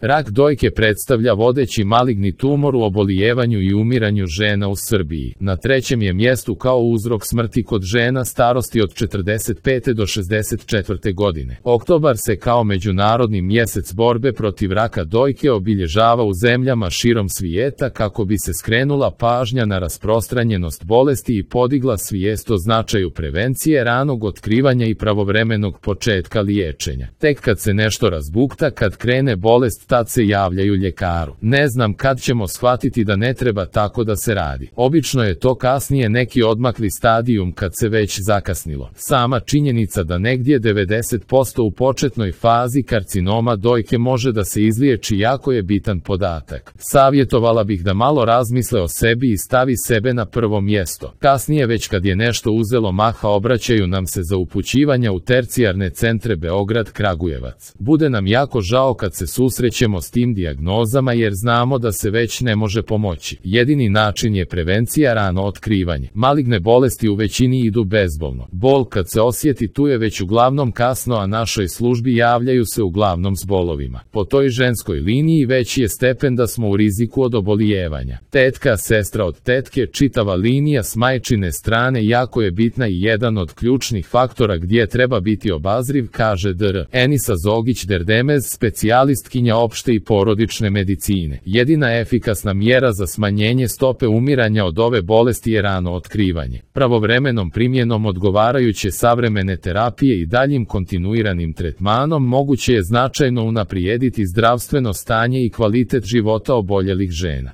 Rak dojke predstavlja vodeći maligni tumor u obolijevanju i umiranju žena u Srbiji. Na trećem je mjestu kao uzrok smrti kod žena starosti od 45. do 64. godine. Oktobar se kao međunarodni mjesec borbe protiv raka dojke obilježava u zemljama širom svijeta kako bi se skrenula pažnja na rasprostranjenost bolesti i podigla svijest o značaju prevencije, ranog otkrivanja i pravovremenog početka liječenja. Tek kad se nešto razbukta, kad krene bolest, tad se javljaju ljekaru. Ne znam kad ćemo shvatiti da ne treba tako da se radi. Obično je to kasnije neki odmakli stadijum kad se već zakasnilo. Sama činjenica da negdje 90% u početnoj fazi karcinoma dojke može da se izliječi jako je bitan podatak. Savjetovala bih da malo razmisle o sebi i stavi sebe na prvo mjesto. Kasnije već kad je nešto uzelo maha obraćaju nam se za upućivanja u tercijarne centre Beograd, Kragujevac. Bude nam jako žao kad se susrećemo s tim dijagnozama jer znamo da se već ne može pomoći. Jedini način je prevencija, rano otkrivanje. Maligne bolesti u većini idu bezbolno. Bol kad se osjeti tu je već uglavnom kasno, a našoj službi javljaju se uglavnom s bolovima. Po toj ženskoj liniji veći je stepen da smo u riziku od obolijevanja. Tetka, sestra od tetke, čitava linija s majčine strane jako je bitna i jedan od ključnih faktora gdje treba biti obazriv, kaže dr. Enisa Zogić-Derdemez, specijalistkinja opšte i porodične medicine. Jedina efikasna mjera za smanjenje stope umiranja od ove bolesti je rano otkrivanje. Pravovremenom primjenom odgovarajuće savremene terapije i daljim kontinuiranim tretmanom moguće je značajno unaprijediti zdravstveno stanje i kvalitet života oboljelih žena.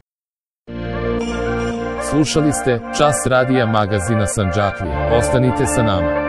Slušali ste Čas radija magazina Sandžaklije. Ostanite sa nama.